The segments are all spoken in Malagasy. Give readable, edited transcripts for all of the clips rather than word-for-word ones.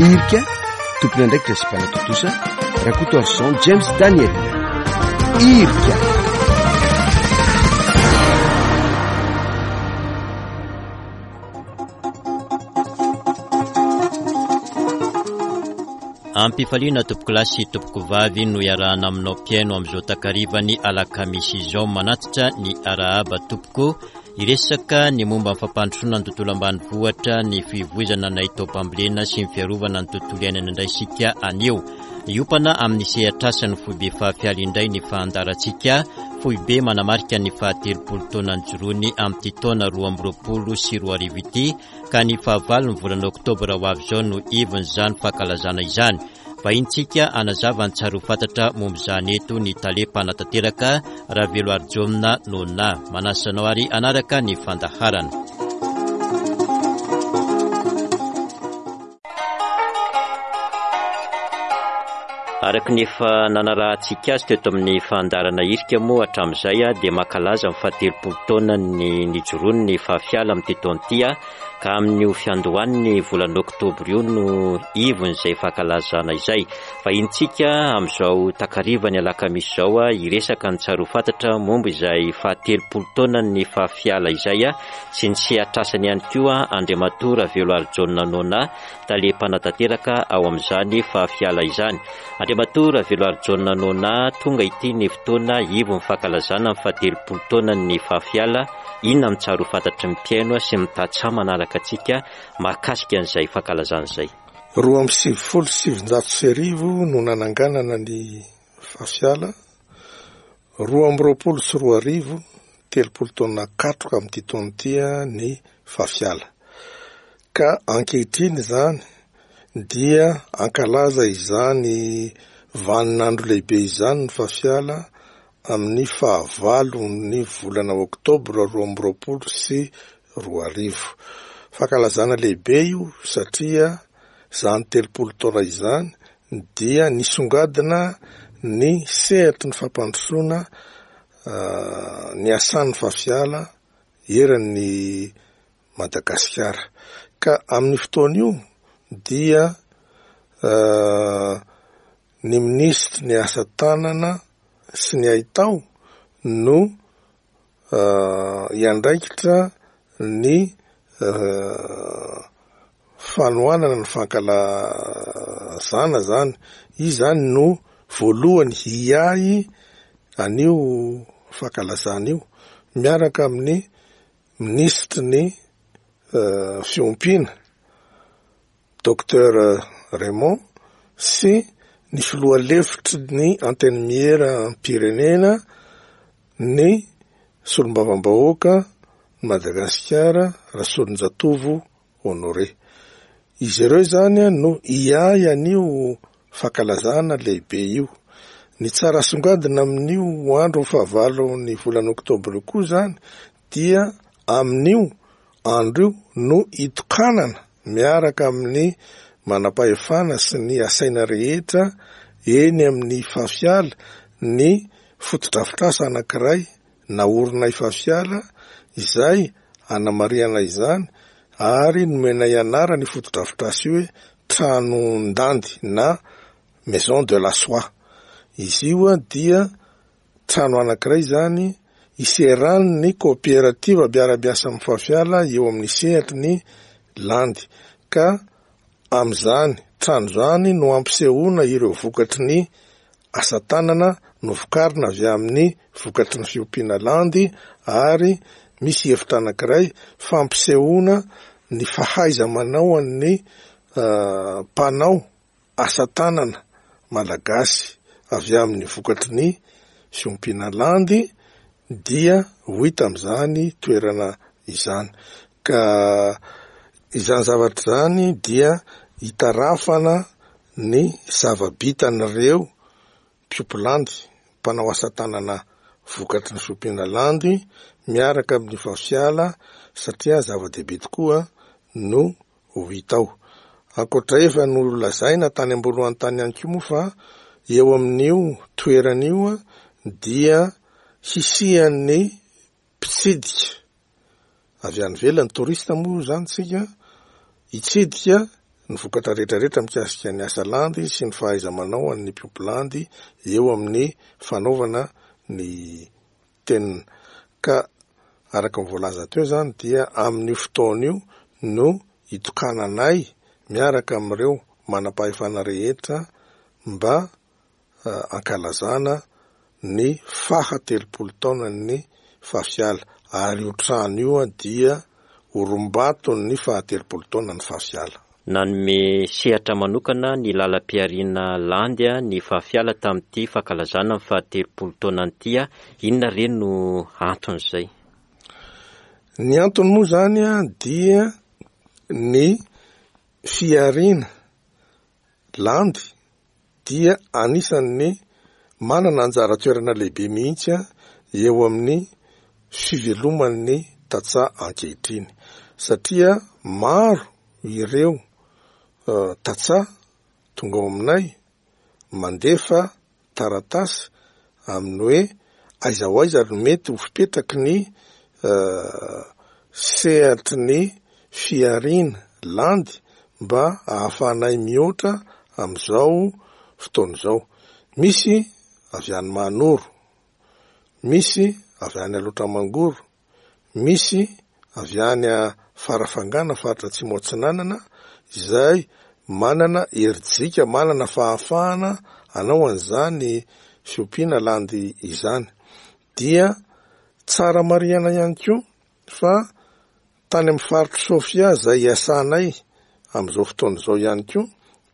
Irika, tompon'andraikitra sy mpanatontosa, Rakotoarison James Daniel. Irika. Ampifaliana tompokolahy sy tompokovavy no iarahana aminao mpihaino amin'izao takarivan'ny alakamisy izao manatitra ny arahaba tompoko Hiresaka ny momba ny fampandrosoana ny tontolo ambanivohitra, ny fivoizana ny haitaom-pambolena sy ny fiarovana ny tontolo iainana indray isika anio. Hiompana amin'ny sehatr'asan'ny foibe fahafialy indray ny fahandarantsika, foibe manamarika ny fahatelopolo taona nijoroany amin'ity taona 2022 ity, ka ny fahavalon'ny volana oktobra ho avy izao no ivon'izany fankalazana izany. Vahintsika hanazava ny tsara ho fantatra momba izany eto ny tale mpanatanteraka Raveloarijaona Nona. Manasa anao ary hanaraka ny fandaharana. Araka ny efa nanarahantsika azy teto amin'ny fandaharana hirika moa hatramin'izay dia mankalaza ny fahatelopolo taonan'ny nijoroany ny fahafiala amin'ity taona ity ka amin'io fiandohan'ny volana oktobra io no ivon'izay fankalazana izay. Vahinintsika amin'izao takarivan'ny alakamisy izao hiresaka ny tsara ho fantatra momba izay fahatelopolo taonan'ny fahafiala izay sy ny sehatr'asany ihany koa Andriamatoa Raveloarijaona Nona, tale mpanatanteraka ao amin'izany fahafiala izany. Andriamatoa Raveloarijaona Nona, tonga ity ny fotoana ivon'ny fankalazana ny fahatelopolo taonan'ny fahafiala Inona no tsara ho fantatry ny mpihaino sy ny tantsaha manaraka antsika mahakasika an'izay fankalazana izay? 1992 no nananganana ny Fafiala, 2022, 30 taona katroka amin'ity taona ity ny Fafiala. Ka ankehitriny izany dia hankalaza izany vaninandro lehibe izany ny Fafiala amin'ny fahavalon'ny volana oktobra 2022. Fankalazana lehibe io satria izany 30 taona izany dia nisongadina ny sehatry ny fampandrosoana niasan'ny Fafiala eran'ny Madagasikara. Ka amin'io fotoana io dia ny minisitry ny asa tanana sy ny haitao no hiandraikitra ny fanohanana ny fankalazana zany. Izy zany no voalohany hiahy an'io fankalazana io miaraka amin'ny minisitry ny fiompiana Docteur Raymond sy ny filoha lefitry ny Antenimieram-pirenena ny solombavambahoaka ny Madagasikara Rasolonjatovo Honoré. Izy ireo izany no hiahy an'io fankalazana lehibe io. Ny tsara asongadina amin'io andro fahavalon'ny volana oktobra io koa izany dia amin'io andro io no hitokanana miaraka amin'ny manam-pahefana sy ny asaina rehetra eny amin'ny Fafiala ny fotodrafitrasa anankiray naorinay Fafiala izay hanamarihana izany ary nomenay anarana io fotodrafitrasa io hoe Tranon-dandy na Maison de la soie. Izy io dia trano anankiray izany iseran'ny kaoperativa mpiara-miasa amin'ny Fafiala eo amin'ny sehatry ny landy ka amin'izany trano izany no ampisehoana ireo vokatry ny asa tanana novokarina avy amin'ny vokatry ny fiompiana landy ary misy efitra anankiray fampisehoana ny fahaiza-manao an'ny mpanao asa tanana malagasy avy amin'ny vokatry ny fiompiana landy dia ho hita amin'izany toerana izany. Ka izany zavatra izany dia hitarafana ny zava-bitan'ireo mpiompy landy, mpanao asa tanana vokatry ny fiompiana landy miaraka amin'ny vafiala satria zava-dehibe tokoa no ho hita ao. Ankoatra efa nolazaina tany am-boalohany tany ihany koa moa fa eo amin'io toerana io dia hisian'ny mpitsidika avy any ivelany, touriste moa izany tsika, hitsidika ny vokatra rehetra rehetra mikasika ny asa landy sy ny fahaiza-manao an'ny mpiompy landy eo amin'ny fanaovana ny tenona. Ka araka ny voalaza teo izany dia amin'io fotoana io no hitokananay miaraka amin'ireo manam-pahefana rehetra mba ankalazana ny faha 30 taonan'ny Fafiala ary io trano io dia orimbaton'ny faha 30 taonan'ny Fafiala. Nanome sehatra manokana ny lalam-pihariana landy ny Fafiala tamin'ity fankalazana ny faha 30 taonany ity. Inona re no anton'izay? Ny antony moa izany dia ny fihariana landy dia anisan'ny manana anjara toerana lehibe mihitsy eo amin'ny fiveloman'ny tantsaha ankehitriny satria maro ireo tantsaha tonga ao aminay mandefa taratasy amin'ny hoe aiza ho aiza no mety ho fipetraky ny sehatry ny fihariana landy mba ahafahanay mihoatra amin'izao fotoana izao. Misy avy any Mahanoro, misy avy any Alaotra Mangoro, Misy avy any Farafangana, faritra Atsimo Atsinanana, izay manana herijika, manana fahafahana hanao an'izany fiompiana landy izany. Dia tsara marihana ihany koa fa tany amin'ny faritr'i Sofia izay iasanay amin'izao fotoana izao ihany koa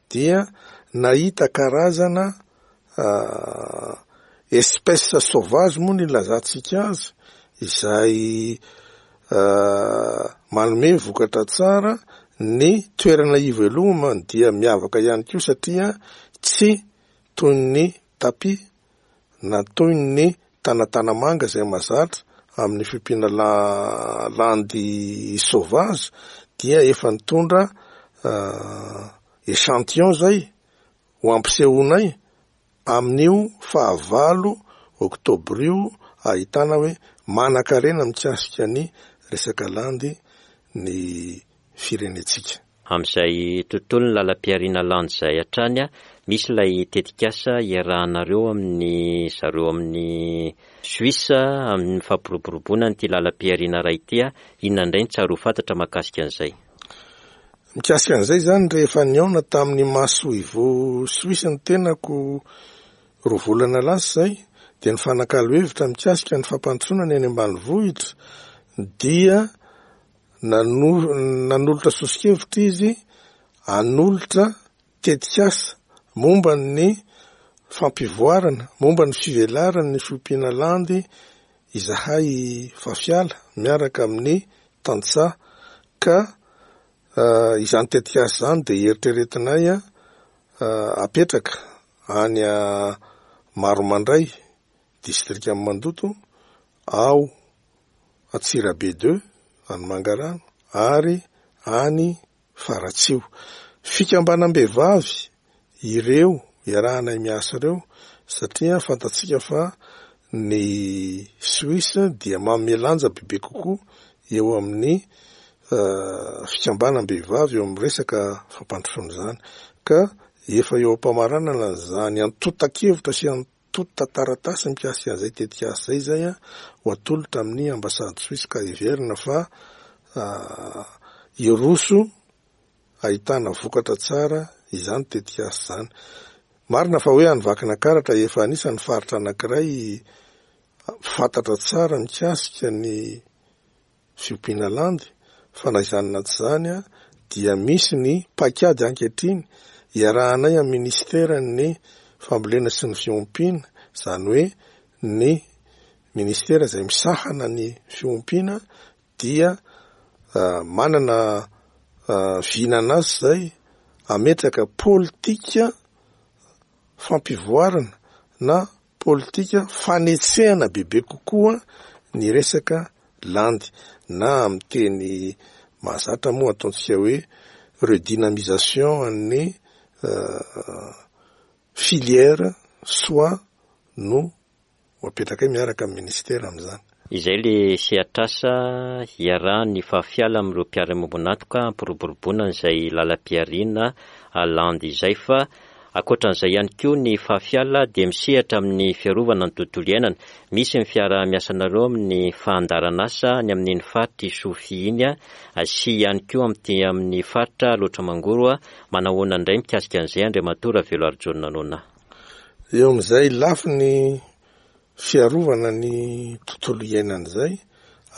dia nahita karazana espèce sauvage moa no ilazantsika azy, izay manome vokatra tsara, ny toerana ivelomany dia miavaka ihany koa satria tsy toy ny tapis na toy ny tanatanamanga izay mahazatra amin'ny fiompiana landy sauvage dia efa nitondra echantillon izay ho ampisehoanay amin'io fahavalo oktobra io ahitana hoe manankarena mikasika ny resaka landy ny firenentsika. Amin'izay tontolon'ny lalam-pihariana landy izay hatrany, misy ilay tetikasa iarahanareo amin'ny zareo amin'ny Suisse amin'ny fampiroboroboana an'ity lalam-pihariana iray ity. Inona indray no tsara ho fantatra mahakasika an'izay? Mikasika an'izay izany, rehefa nihaona tamin'ny masoivoho Suisse ny tenako roa volana lasa izay, dia nifanakalo hevitra mikasika ny fampandrosoana ny any ambanivohitra, dia Nanolotra soso-kevitra izy hanolotra tetikasa momba ny fampivoarana, momba ny fivelaran'ny fiompiana landy izahay Fafiala miaraka amin'ny tantsaha ka izany tetikasa izany dia eritreretinay hapetraka any Maromandray, distrikan'i Mandoto, ao Antsirabe deux, any Mangarano ary any Faratsiho. Fikambanam-behivavy ireo iarahanay miasa ireo satria fantatsika fa ny Suisse dia manome lanja bebe kokoa eo amin'ny fikambanam-behivavy eo amin'ny resaka fampandrosoana izany ka efa eo am-pamaranana izany antontan-kevitra sy Antontan-taratasy mikasika an'izay tetikasa izay izay ho atolotra amin'ny ambasady Suisse ka heverina fa hiroso ahitana vokatra tsara izany tetikasa izany. Marina fa hoe any Vakinakaratra efa anisan'ny faritra anankiray fantatra tsara mikasika ny fiompiana landy fa na izany na tsy izany dia misy ny paikady ankehitriny iarahanay amin'ny minisiteran'ny fambolena sy ny fiompiana, izany hoe ny minisitera izay misahana ny fiompiana dia manana vinan'asa izay hametraka politika fampivoarana na politika fanetsehana bebe kokoa ny resaka landy na amin'ny teny mahazatra moa ataontsika hoe redynamisation an'ny filière soie no ho apetrakay miaraka amin'ny ministera amin'izany. Izay le sehatr'asa iarahan'ny Fahafiala amin'ireo mpiara-miombon'antoka hampiroboroboana an'izay lalam-pihariana landy izay fa ankoatran'izay ihany koa ny Fahafiala dia misehatra amin'ny fiarovana ny tontolo iainana. Misy ny fiaraha-miasanareo amin'ny fandaharan'asa any amin'iny faritr'i Sofia iny sy ihany koa amin'ity amin'ny faritra Alaotra Mangoro. Manahoana indray mikasika an'izay Andriamatoa Raveloarijaona Nona? Eo amin'izay lafiny fiarovana ny tontolo iainana izay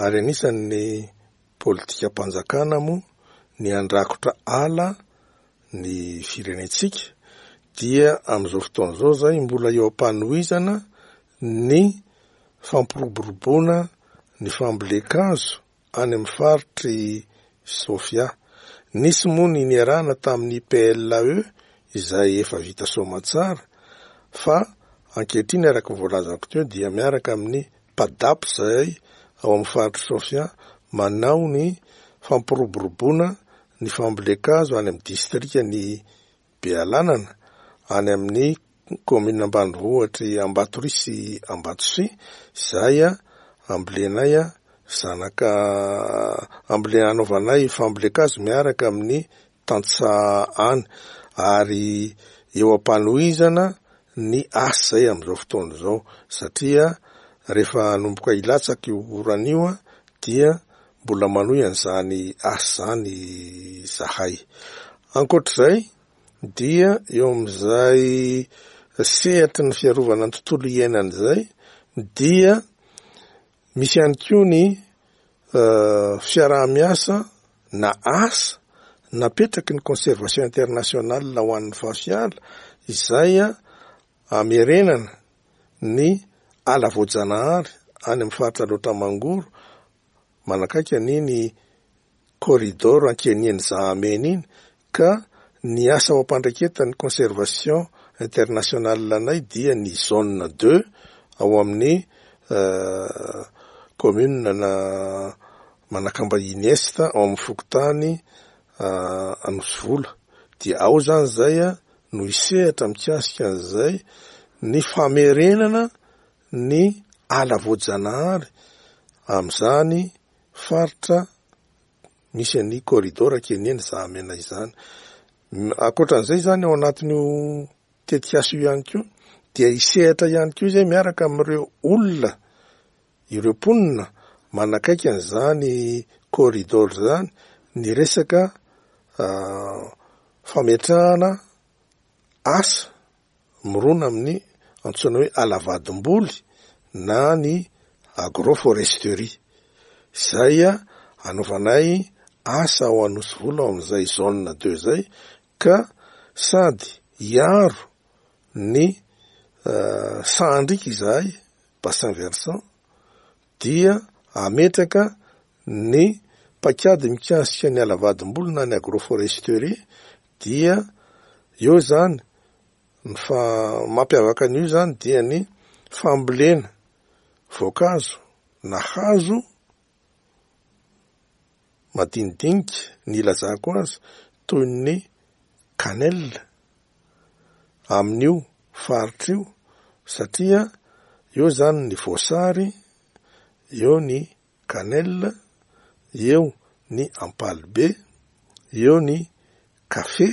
ary anisan'ny politikam-panjakana moa ny handrakotra ala ny firenentsika dia amin'izao fotoana izao izay mbola eo am-panohizana ny fampiroboroboana ny fambolen-kazo any amin'ny faritr'i Sofia. Nisy moa ny niarahana tamin'ny PLAE izay efa vita soamantsara fa ankehitriny araka ny voalazako teo dia miaraka amin'ny PADAP izay ao amin'ny faritr'i Sofia manao ny fampiroboroboana ny fambolen-kazo any amin'ny distrikan'i Bealanana, any amin'ny kaominina ambanivohitr'i Ambatoria sy Ambatosia, izay ambolenay zanaka ambolena anaovanay fambolen-kazo miaraka amin'ny tantsaha any ary eo am-panohizana ny asa izay amin'izao fotoana izao satria rehefa hanomboka hilatsaka io orana io dia mbola manohy an'izany asa izany izahay. Ankoatr'izay dia eo amin'izay sehatry ny fiarovana ny tontolo iainana izay dia misy ihany koa ny fiaraha-miasa na asa napetraky ny Conservation Internationale ho an'ny Fafiala izay amerenana ny ala voajanahary any amin'ny faritra Alaotra Mangoro manakaiky an'iny corridor Ankenian'i Zahamena iny ka ny asa ao am-pandraiketan'ny Conservation Internationale anay dia ny zone deux ao amin'ny commune na Manakambahiny Est ao amin'ny fokontany Anosivola dia ao izany izay no hisehatra mikasika an'izay ny famerenana ny ala voajanahary amin'izany faritra misy an'ny corridor Keniana Zahamena izany. Ankoatran'izay izany ao anatin'io tetikasa io ihany koa dia hisehatra ihany koa izay miaraka amin'ireo olona, ireo mponina manakaiky an'izany corridor izany ny resaka fametrahana asa mirona amin'ny antsoina hoe ala vadim-boly na ny agroforesterie, izay anaovanay asa ao Anosivola ao amin'izay zone deux izay ka sady hiaro ny sahandriaka izahay, bassin versant, dia hametraka ny paikady mikasika ny ala vadim-boly na ny agroforesterie dia eo izany Ny fa mampiavaka an'io izany dia ny fambolena voankazo na hazo madinidinika ny ilazako azy toy ny cannelle amin'io faritra io satria eo izany ny voasary, eo ny cannelle, eo ny ampalibe, eo ny kafe.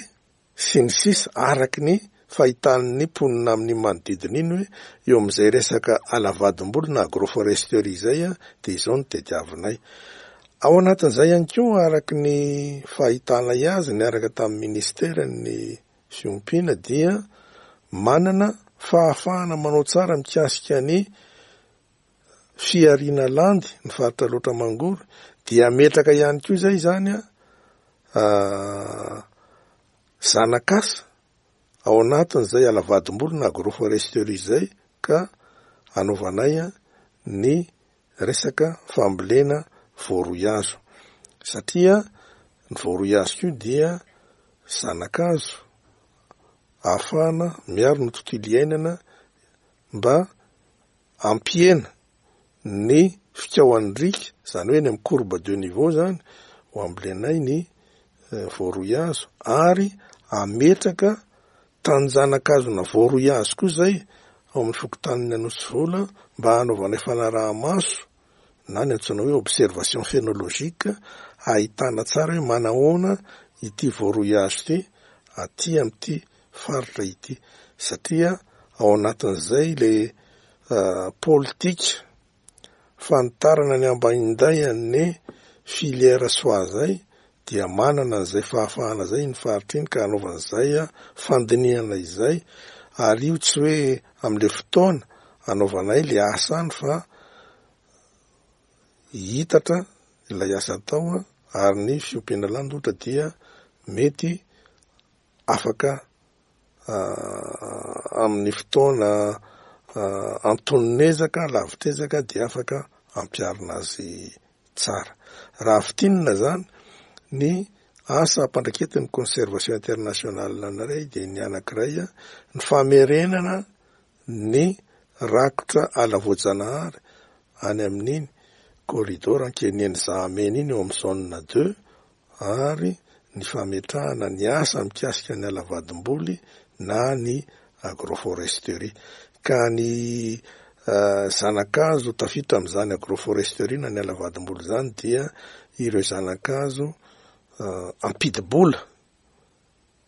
sy ny sisa Araka ny fahitan'ny mponina amin'iny manodidina iny hoe eo amin'izay resaka ala vadim-bolo na agroforesterie izay dia izao no tediavinay. Ao anatin'izay ihany koa araka ny fahitanay azy niaraka tamin'ny ministeran'ny fiompiana dia manana fahafahana manao tsara mikasika ny fihariana landy ny faritra Alaotra Mangoro dia hametraka ihany koa izay izany zanak'asa ao anatin'izay ala vadim-bolo na agroforesterie izay ka hanaovanay ny resaka fambolena voaroihazo satria ny voaroihazo koa dia zanakazo ahafahana miaro ny tontolo iainana mba hampihena ny fikaohan'ny riaka, izany hoe eny amin'ny courbe de niveau izany, ho ambolenay ny voaroihazo ary hametraka tanin-janakazona voaroihazo koa izay ao amin'ny fokontanin'i Anosivola mba hanaovanay fanaraha-maso. na ny antsoina hoe observation phenologique ahitana tsara hoe manahoana ity voaroy hazo ity aty amin'ity faritra ity satria ao anatin'izay le politika fanitarana ny ambainday an'ny filière soie zay dia manana an'izay fahafahana zay iny faritra iny ka hanaovana izay fandinihana izay ary io tsy hoe amin'le fotoana anaovanay le asa any fa Hihitatra ilay asa atao ary ny fiompiana landy ohatra dia mety afaka amin'ny fotoana antonon'ezaka, lavitr'ezaka dia afaka ampiharina azy tsara. Raha fintinina izany, ny asa ampandraiketin'ny Conservation Internationale anay dia ny anankiray, ny famerenana ny rakotra ala voajanahary any amin'iny corridor Ankeniheny Zahamena iny eo amin'ny zone deux ary ny fametrahana ny asa mikasika ny ala vadimboly na ny agroforesterie. Ka ny zanakazo tafiditra amin'izany agroforesterie na ny ala vadimboly izany dia ireo zanakazo ampidi-bola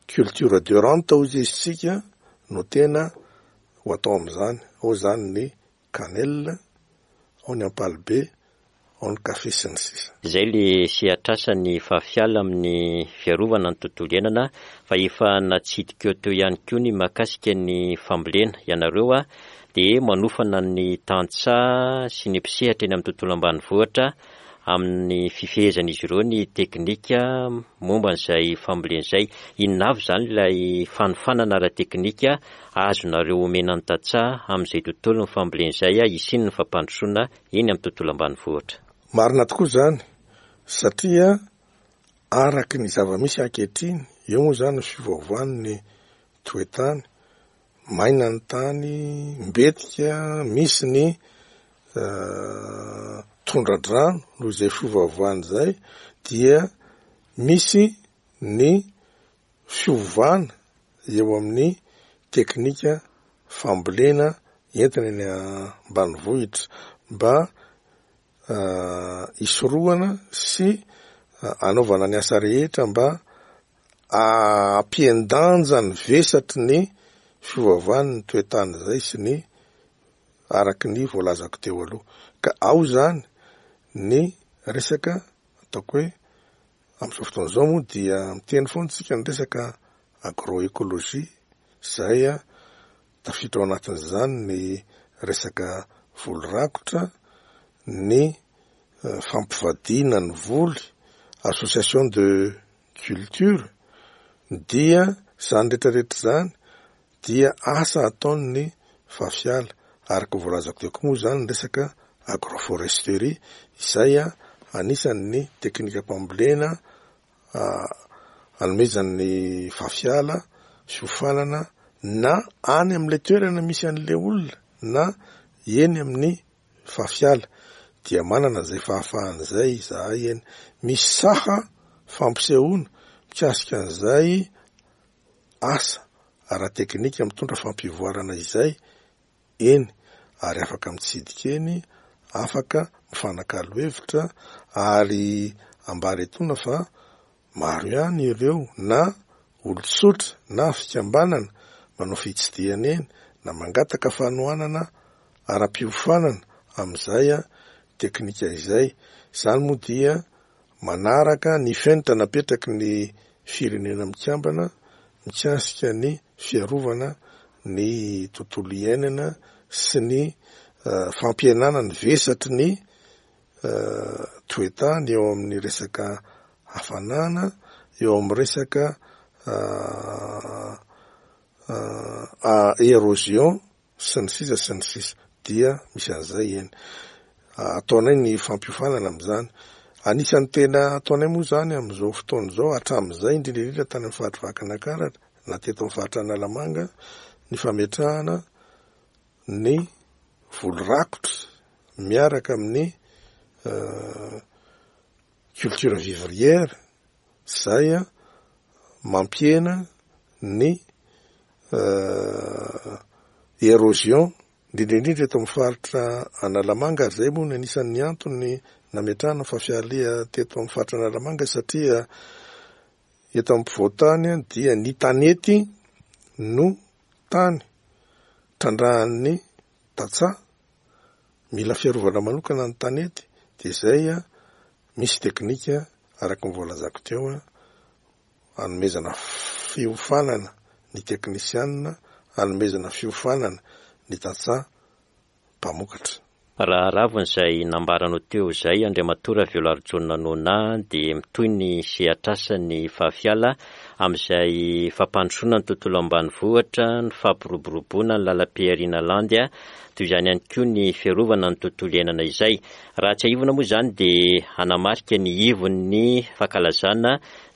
Culture de rente hozy izy tsika no tena ho atao amin'izany, ao izany ny cannelle, ao ny ampalibe, ao ny kafe sy ny sisa. Izay le sehatr'asan'ny Fafiala amin'ny fiarovana ny tontolo iainana fa efa natsidikao teo ihany koa ny mahakasika ny fambolena. Ianareo dia manofana ny tantsaha sy ny mpisehatra eny amin'ny tontolo ambanivohitra amin'ny fifehezan'izy ireo ny teknika momba an'izay fambolena izay. Inona avy izany ilay fanofanana ara-teknika azonareo omena ny tantsaha amin'izay tontolon'ny fambolena izay hisian'ny fampandrosoana eny amin'ny tontolo ambanivohitra? Marina tokoa izany satria araka ny zava-misy ankehitriny, eo moa izany ny fiovaovan'ny toe-tany, Maina ny tany, mbetika misy ny tondra-drano noho izay fiovaovana izay dia misy ny fiovana eo amin'ny teknika fambolena entina eny ambanivohitra mba hisorohana sy anaovana ny asa rehetra mba Hampihen-danja ny vesatry ny fiovaovan'ny toe-tany izay sy ny araka ny voalazako teo aloha. Ka ao izany ny resaka ataoko hoe amin'izao fotoana izao moa dia miteny foana isika ny resaka agroécologie izay tafiditra ao anatin'izany ny resaka voly rakotra, ny fampivadiana ny voly, association de culture, dia izany rehetra rehetra izany dia asa ataon'ny Fafiala, araka ny voalazako teo koa moa izany ny resaka agroforesterie izay anisan'ny teknikam-pambolena anomezan'ny Fafiala fiofanana na any amin'ilay toerana misy an'ilay olona na eny amin'ny Fafiala dia manana izay fahafahana izay izahay eny. Misy saha fampisehoana mikasika an'izay asa ara-teknika mitondra fampivoarana izay eny ary afaka mitsidika eny, afaka mifanakalo hevitra ary ambara etoana fa Maro ihany ireo na olon-tsotra na fikambanana manao fitsidihana eny na mangataka fanohanana ara-piofanana amin'izay teknika izay. Izany moa dia manaraka ny fenitra napetraky ny Firenena Mikambana mikasika ny fiarovana ny tontolo iainana sy ny fampihenana ny vesatry ny toe-tany eo amin'ny resaka hafanana, eo amin'ny resaka érosion sy ny sisa sy ny sisa dia misy an'izay eny. Ataonay ny fampiofanana amin'izany. Anisan'ny tena ataonay moa izany amin'izao fotoana izao hatramin'izay indrindra indrindra tany amin'ny faritry Vakinankaratra na teto amin'ny faritra Analamanga ny fametrahana ny voly rakotra miaraka amin'ny culture vivrière izay mampihena ny érosion. Indrindra indrindra eto amin'ny faritra Analamanga ary izay moa no anisan'ny antony nametrahana ny Fafialia teto amin'ny faritra Analamanga satria eto ampovoan-tany dia ny tanety no tany trandrahan'ny tantsaha, mila fiarovana manokana ny tanety dia izay misy teknika araka ny voalazako teo hanomezana fiofanana ny teknisianina, hanomezana fiofanana ny tantsaha mpamokatra. Raha ravina izay nambaranao teo izay Andriamatoa Raveloarijaona Nona dia mitohy ny sehatr'asan'ny Fahafiala amin'izay fampandrosoana ny tontolo ambanivohitra, ny fampiroboroboana ny lalam-pihariana landy, toy izany ihany koa ny fiarovana ny tontolo iainana izay. Raha tsiahivina moa izany dia hanamarika ny ivon'ny fankalazana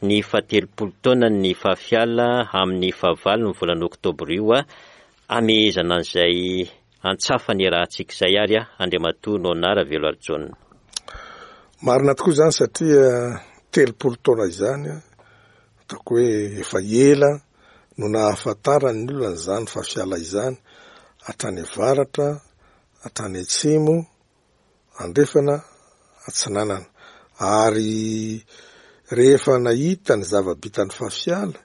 ny fahatelopolo taonan'ny Fahafiala amin'ny fahavalon'ny volana oktobra io hamehezana an'izay antsafa niarahantsika izay ary Andriamatoa Nona Raveloarijaona. Marina tokoa izany satria 30 taona izany, ataoko hoe efa ela no nahafantaran'ny olona an'izany Fahafiala izany, hatrany avaratra, hatrany atsimo, andrefana, atsinanana. Ary rehefa nahita ny zava-bitan'ny Fafiala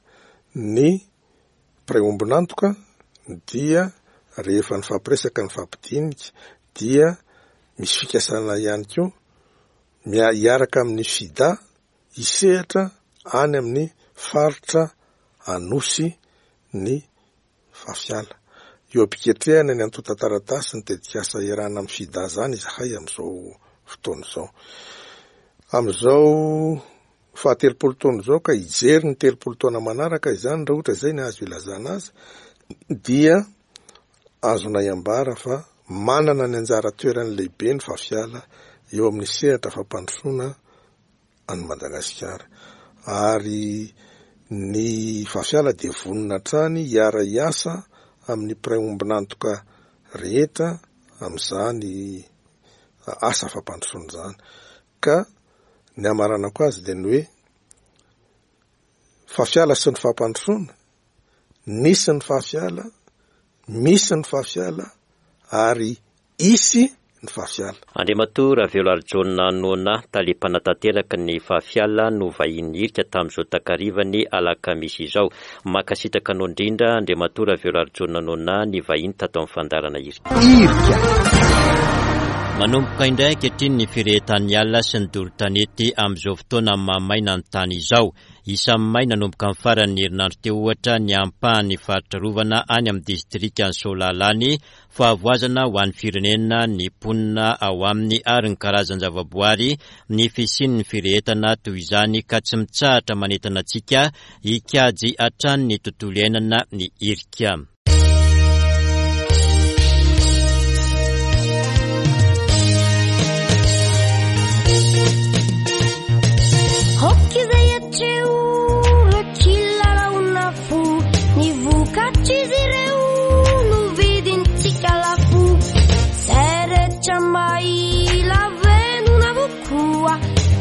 ny mpiray ombon'antoka dia rehefa nifampiresaka nifampidinika dia misy fikasana ihany koa hiaraka amin'ny FIDA hisehatra any amin'ny faritra Anosy ny Fafiala. Eo am-piketrehana ny antontan-taratasy ny tetikasa iarahana amin'ny FIDA izany izahay amin'izao fotoana izao. Amin'izao fahatelopolo taona izao ka hijery ny 30 taona manaraka izany raha ohatra izay ny azo ilazana azy dia azonay ambara fa manana ny anjara toerany lehibe ny Fafiala eo amin'ny sehatra fampandrosoana an'i Madagasikara ary ny Fafiala dia vonona hatrany hiara-hiasa amin'ny mpiray ombon'antoka rehetra amin'izany asa fampandrosoana izany ka ny hamaranako azy dia ny hoe Fafiala sy ny fampandrosoana, nisy ny Fafiala, misy ny Fafiala ary Hisy ny Fafiala. Andriamatoa Raveloarijaona Nona, tale mpanatanteraka ny Fafiala no vahiny hirika tamin'izao takarivan'ny alakamisy izao. Mankasitraka anao indrindra Andriamatoa Raveloarijaona Nona nivahiny tato amin'ny fandaharana hirika. Hirika. Manomboka indray ankehitriny ny firehetan'ny ala sy ny doro tanety amin'izao fotoana maha-maina ny tany izao. Isan'ny may nanomboka ny faran'ny herinandro teo ohatra ny ampahan'ny faritra arovana any amin'ny distrikan'i Soalala any, Fahavoazana ho an'ny firenena, ny mponina ao aminy ary ny karazan-javaboary ny fisian'ny firehetana toy izany ka tsy mitsahatra manentana antsika hikajy hatrany ny tontolo iainana ny hirika. Ny vokatr'izy ireo no vidintsika lafo. Izay rehetra mahila venona avokoa.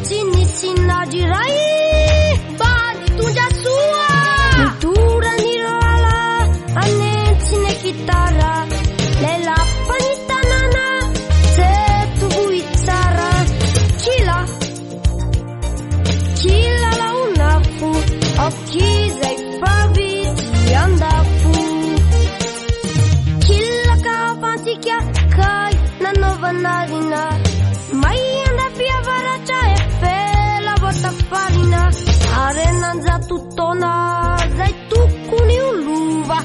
Tsy nisy nady iray mba nitondra soa. Nidorany lala anentsina gitara. Lay lapan'ny tanàna teto Vohitsara. Kila Kilalaon'afo, aok'izay fa vitsy andafo. Kilaka fantsika kay nanaovana rina. May andafy avaratra efela vao tafarina. Harena an-jato taona zay tokony ho lova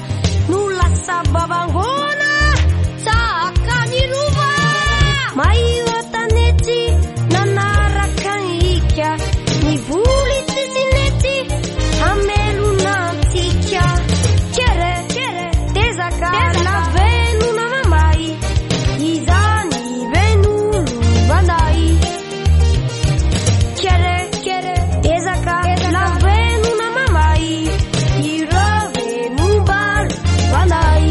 no lasa babangoana tahaka ny rova. May Tanety nanaraka ny hika, ny voly tsisy nety hamelona antsika. Kere, tezaka, lavenona mamay, izany ve no lovanay. Kere, tezaka, lavenona mamay, ireo ve no mba lovanay.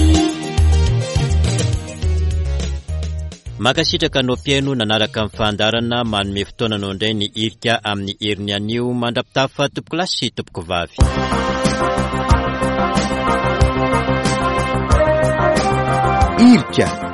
Mankasitraka anao mpihaino nanaraka ny fandaharana manome fotoana anao indray ny hirika amin'ny heriny anio mandra-pitafa tompokolahy sy tompokovavy. Hirika.